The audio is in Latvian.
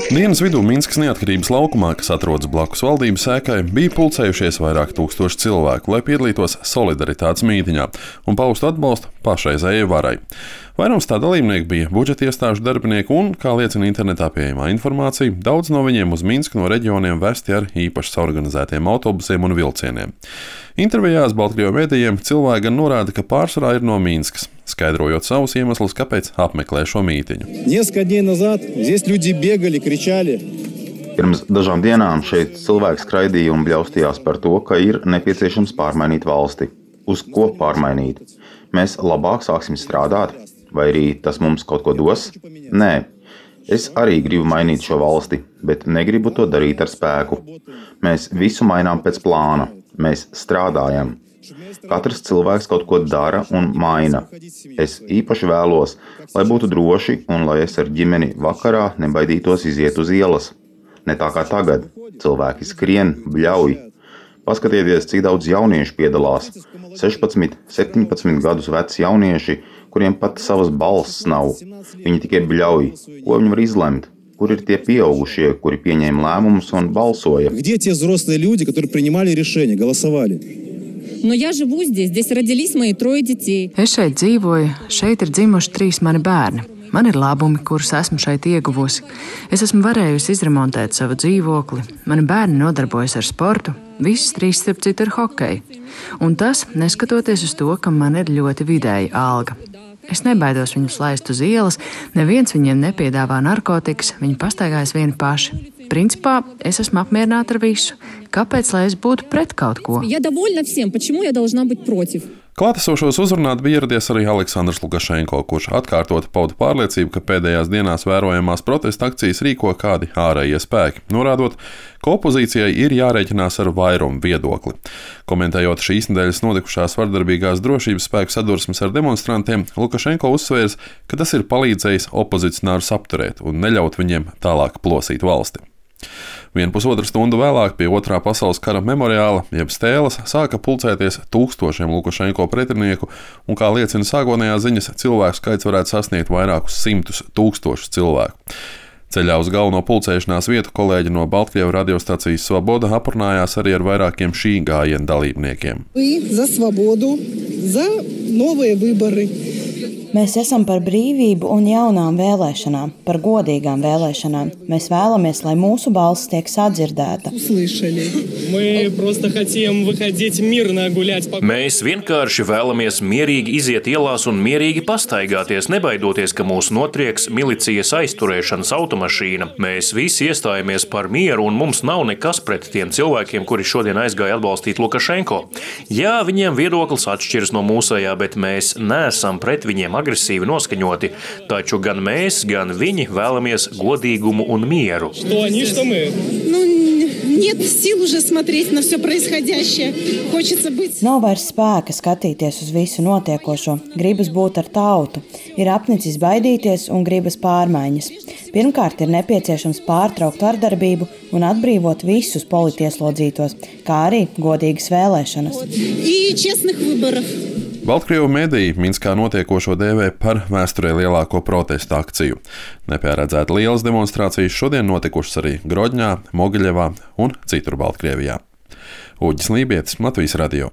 Dienas vidū Minskas Neatkarības laukumā, kas atrodas blakus valdības ēkai, bija pulcējušies vairāk tūkstoši cilvēku, lai piedalītos solidaritātes mītiņā un paustu atbalstu pašreizējai varai. Vairums tā dalībnieku bija budžeta iestāžu darbinieki un, kā liecina internetā pieejamā informācija, daudz no viņiem uz Minsku no reģioniem vesti ar īpaši organizētiem autobusiem un vilcieniem. Intervijās Baltkrievu mēdījiem cilvēki gan norāda, ka pārsvarā ir no Minskas, skaidrojot savus iemeslus, kāpēc apmeklē šo mītiņu. Pirms dažām dienām šeit cilvēki skraidīja un bļaustījās par to, ka ir nepieciešams pārmainīt valsti. Uz ko pārmainīt? Mēs labāk sāksim strādāt? Vai arī tas mums kaut ko dos? Nē. Es arī gribu mainīt šo valsti, bet negribu to darīt ar spēku. Mēs visu mainām pēc plāna. Mēs strādājam. Katrs cilvēks kaut ko dara un maina. Es īpaši vēlos, lai būtu droši un lai es ar ģimeni vakarā nebaidītos iziet uz ielas. Ne tā kā tagad. Cilvēki skrien, bļauj. Paskatieties, cik daudz jauniešu piedalās. 16, 17 gadus veci jaunieši, kuriem pat savas balss nav. Viņi tikai bļauj. Ko viņi var izlemt? Kur ir tie pieaugušie, kuri pieņēma lēmumus un balsoja? Es šeit dzīvoju, šeit ir dzimuši 3 mani bērni. Man ir labumi, kurus esmu šeit ieguvusi. Es esmu varējusi izremontēt savu dzīvokli. Mani bērni nodarbojas ar sportu. Visas 3 starp citu ar hokeju. Un tas, neskatoties uz to, ka man ir ļoti vidēja alga. Es nebaidos viņus laist uz ielas, neviens viņiem nepiedāvā narkotikas, viņi pastaigājas vieni paši. Principā, es esmu apmierināta ar visu. Kāpēc, lai es būtu pret kaut ko? Klātesošos uzrunāt bija ieradies arī Aleksandrs Lukašenko, kurš atkārtot pauda pārliecību, ka pēdējās dienās vērojamās protesta akcijas rīko kādi ārējie spēki, norādot, ka opozīcijai ir jārēķinās ar vairumu viedokli. Komentējot šīs nedēļas notikušās vardarbīgās drošības spēku sadursmes ar demonstrantiem, Lukašenko uzsvērs, ka tas ir palīdzējis opozicionārus apturēt un neļaut viņiem tālāk plosīt valsti. 1,5 stundu vēlāk pie Otrā pasaules kara memoriāla, jeb stēles, sāka pulcēties tūkstošiem Lukašenko pretinieku, un, kā liecina sākotnējās ziņas, cilvēku skaits varētu sasniegt vairākus 100 000 cilvēku. Ceļā uz galveno pulcēšanās vietu kolēģi no Baltkrievu radiostacijas Svoboda aprunājās arī ar vairākiem šī gājiena dalībniekiem. Mēs esam par brīvību un jaunām vēlēšanām, par godīgām vēlēšanām. Mēs vēlamies, lai mūsu balss tiek sadzirdēta. Mēs vienkārši vēlamies mierīgi iziet ielās un mierīgi pastaigāties, nebaidoties, ka mūs notrieks milicijas aizturēšanas automašīna. Mēs visi iestājamies par mieru un mums nav nekas pret tiem cilvēkiem, kuri šodien aizgāja atbalstīt Lukašenko. Jā, viņiem viedoklis atšķiras no mūsējā, bet mēs neesam pret viņiem agresīvi noskaņoti, taču gan mēs, gan viņi vēlamies godīgumu un mieru. Nav vairs spēka skatīties uz visu notiekošo, gribas būt ar tautu, ir apnicis baidīties un gribas pārmaiņas. Pirmkārt, ir nepieciešams pārtraukt vardarbību un atbrīvot visus politieslodzītos, kā arī godīgas vēlēšanas. Baltkrievu mediji Minskā notiekošo dēvē par vēsturē lielāko protestu akciju. Nepieredzēti lielas demonstrācijas šodien notikušas arī Grodņā, Mogiļevā un citur Baltkrievijā. Uģis Lībietis, Latvijas radio.